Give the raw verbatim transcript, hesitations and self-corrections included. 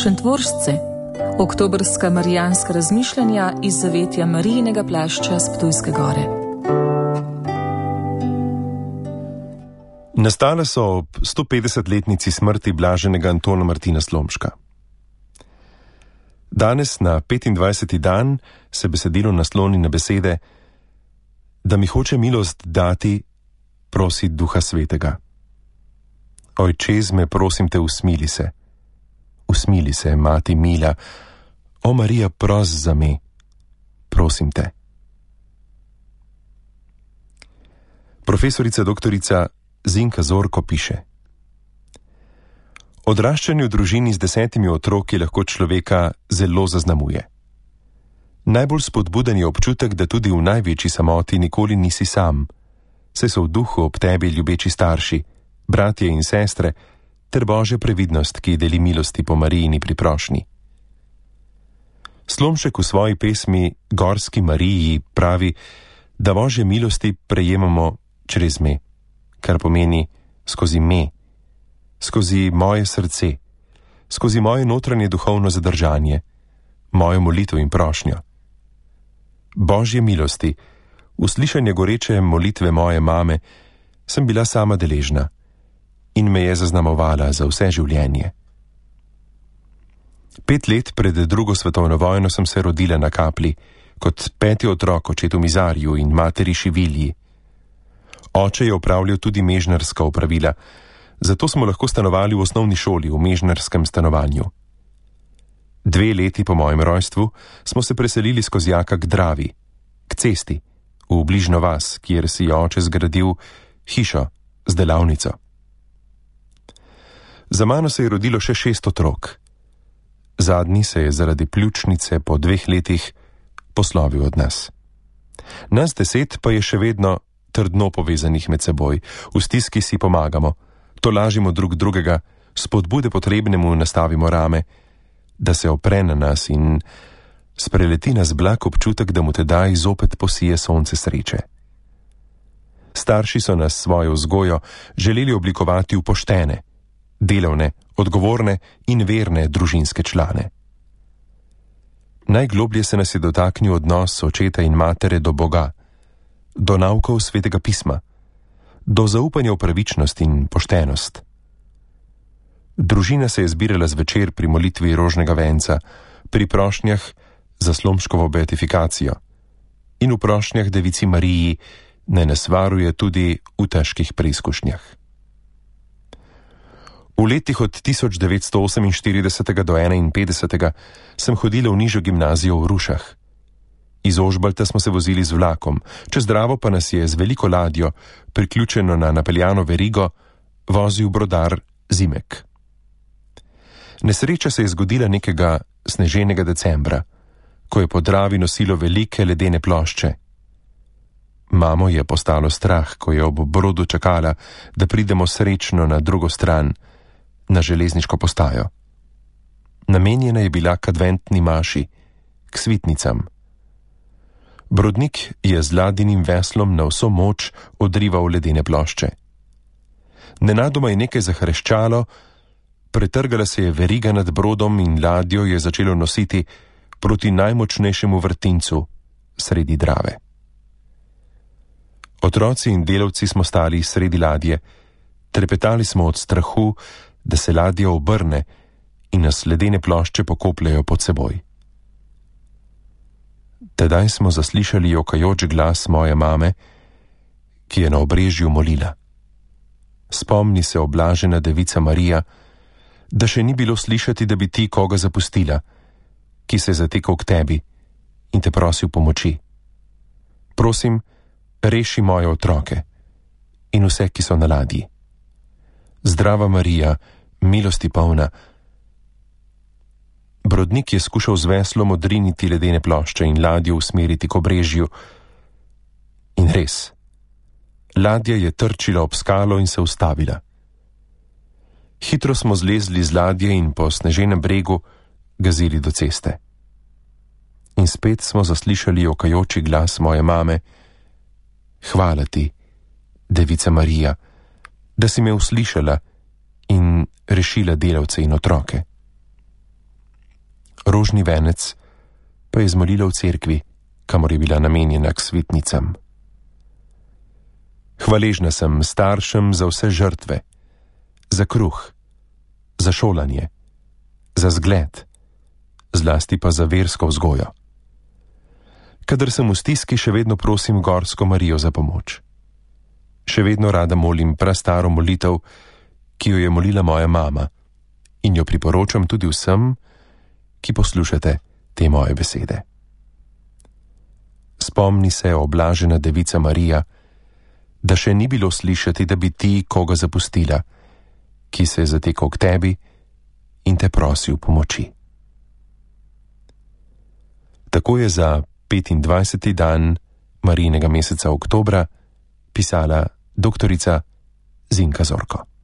Šentvoržce, oktobrska marijanska razmišljanja iz zavetja Marijinega plašča s Ptujske gore. Nastale so ob stopetdesetletnici smrti blaženega Antona Martina Slomška. Danes, na petindvajseti dan, se besedilo nasloni na besede: da mi hoče milost dati, prosi Duha Svetega. Ojčez me, prosim te, usmili se. Usmili se, mati mila. O Marija, pros za me, prosim te. Profesorica doktorica Zinka Zorko piše: odraščanje v družini z desetimi otroki lahko človeka zelo zaznamuje. Najbolj spodbuden je občutek, da tudi v največji samoti nikoli nisi sam, saj so v duhu ob tebi ljubeči starši, bratje in sestre, ter Božja previdnost, ki deli milosti po Marijini priprošnji. Slomšek v svoji pesmi Gorski Mariji pravi, da Božje milosti prejemamo čez me, kar pomeni skozi me, skozi moje srce, skozi moje notranje duhovno zadržanje, mojo molitev in prošnjo. Božje milosti, uslišanje goreče molitve moje mame, sem bila sama deležna in me je zaznamovala za vse življenje. Pet let pred drugo svetovno vojno sem se rodila na Kapli, kot peti otrok očetu Mizarju in materi Šivilji. Oče je opravljal tudi mežnarska opravila, zato smo lahko stanovali v osnovni šoli v mežnarskem stanovanju. Dve leti po mojem rojstvu smo se preselili z Kozjaka k Dravi, k cesti, v bližnjo vas, kjer si je oče zgradil hišo z delavnico. Za mano se je rodilo še šest otrok. Zadnji se je zaradi pljučnice po dveh letih poslovil od nas. Nas deset pa je še vedno trdno povezanih med seboj, v stiski si pomagamo, tolažimo drug drugega, spodbude potrebnemu nastavimo rame, da se opre na nas in spreleti nas blag občutek, da mu tedaj zopet posije sonce sreče. Starši so nas svojo vzgojo želeli oblikovati v poštene, delovne, odgovorne in verne družinske člane. Najgloblje se nas je dotaknil odnos očeta in matere do Boga, do naukov Svetega pisma, do zaupanja v pravičnost in poštenost. Družina se je zbirala zvečer pri molitvi rožnega venca, pri prošnjah za Slomškovo beatifikacijo in v prošnjah Devici Mariji naj nas varuje tudi v težkih preizkušnjah. V letih od tisoč devetsto oseminštiridesetega do enainpetdesetega sem hodila v nižjo gimnazijo v Rušah. Iz Ožbalta smo se vozili z vlakom, čez Dravo pa nas je z veliko ladjo, priključeno na napeljano verigo, vozil brodar Zimek. Nesreča se je zgodila nekega sneženega decembra, ko je po Dravi nosilo velike ledene plošče. Mamo je postalo strah, ko je ob brodu čakala, da pridemo srečno na drugo stran, na železniško postajo. Namenjena je bila k adventni maši, k svitnicam. Brodnik je z ladinim veslom na vso moč odrival ledene plošče. Nenadoma je nekaj zahreščalo, pretrgala se je veriga nad brodom in ladjo je začelo nositi proti najmočnejšemu vrtincu sredi Drave. Otroci in delavci smo stali sredi ladje, trepetali smo od strahu, da se ladja obrne in nas ledene plošče pokopljajo pod seboj. Tedaj smo zaslišali jokajoč glas moje mame, ki je na obrežju molila: spomni se, oblažena Devica Marija, da še ni bilo slišati, da bi ti koga zapustila, ki se je zatekal k tebi in te prosil pomoči. Prosim, reši moje otroke in vse, ki so na ladji. Zdrava Marija, milosti polna. Brodnik je skušal z veslom odriniti ledene plošče in ladjo usmeriti k obrežju. In res, ladja je trčila ob skalo in se ustavila. Hitro smo zlezli z ladje in po sneženem bregu gazili do ceste. In spet smo zaslišali jokajoči glas moje mame: hvala ti, Devica Marija, da si me uslišala in rešila delavce in otroke. rožni venec pa je zmolila v cerkvi, kamor je bila namenjena k svetnicam. Hvaležna sem staršem za vse žrtve, za kruh, za šolanje, za zgled, zlasti pa za versko vzgojo. Kadar sem v stiski, še vedno prosim Gorsko Marijo za pomoč. Še vedno rada molim prastaro molitev, ki jo je molila moja mama, in jo priporočam tudi vsem, ki poslušate te moje besede. Spomni se, oblažena devica Marija, da še ni bilo slišati, da bi ti koga zapustila, ki se je zatekal k tebi in te prosil pomoči. Tako je za petindvajseti dan Marijinega meseca oktobra pisala doktorica Zinka Zorko.